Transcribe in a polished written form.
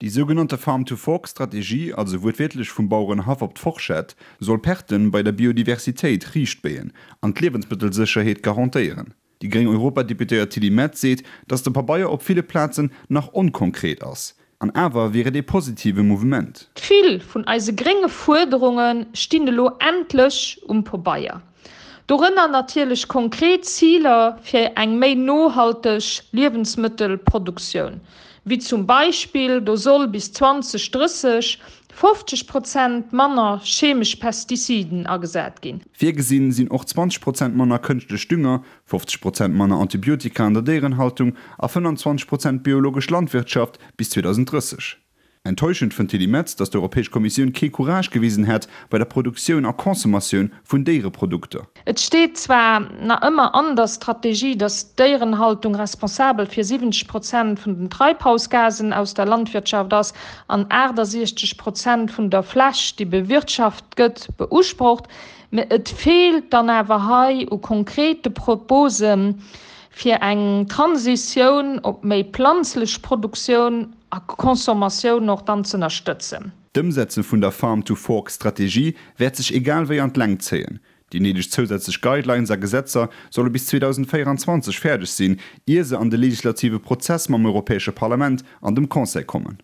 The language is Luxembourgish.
Déi sougenannte Farm-to-Fork-Strategie, also wuertwiertlech vum Bauerenhaff op d'Forschett, soll Perte bei der Biodiversitéit riichtbéien an d'Liewensmëttelsécherheet garantéieren. Déi gréng Europadeputéiert Tilly Metz seet, datt de Pabeier op ville Plazen nach onkonkret ass. An awer wier et ee positive Mouvement. Vill vun eise grénge Fuerderunge stinn elo endlech um Pobeier. Dorënner natierlech konkret Ziler fir eng méi nohalteg Liewensmëttelproduktioun, wéi zum Beispill, do soll bis 2030 50 Prozent manner chemesch Pestiziden agesat ginn. Virgesinn sinn och 20 Prozent manner kënschtlech Dünger, 50 Prozent manner Antibiotika an der Déierenhaltung a 25 Prozent biologesch Landwirtschaft bis 2030. Enttäuschend fënnt d'Tilly Metz, datt d'Europäesch Kommissioun kee Courage gewisen hätt bei der Produktioun a Consommatioun vun Déiereprodukter. Et steet zwar na ëmmer an der Strategie, datt d'Déierenhaltung responsabel fir 70 Prozent vun den Treibhausgasen aus der Landwirtschaft ass an 68 Prozent vun der Fläch, déi bewirtschaft gëtt, beusprocht, mä et feelt dann awer hei u konkrete Proposen, fir eng Transitioun op méi planzlech Produktioun a Consommatioun och dann z'ënnerstëtzen. D'Ëmsetze vun der Farm to Fork Strategie wäert sech egal wéi an d'Längt zéien. Déi néideg zousätzlech Guidelines a Gesetzer solle bis 2024 fäerdeg sinn, ier se an de legislative Prozess mam Europäesche Parlament an dem Conseil kommen.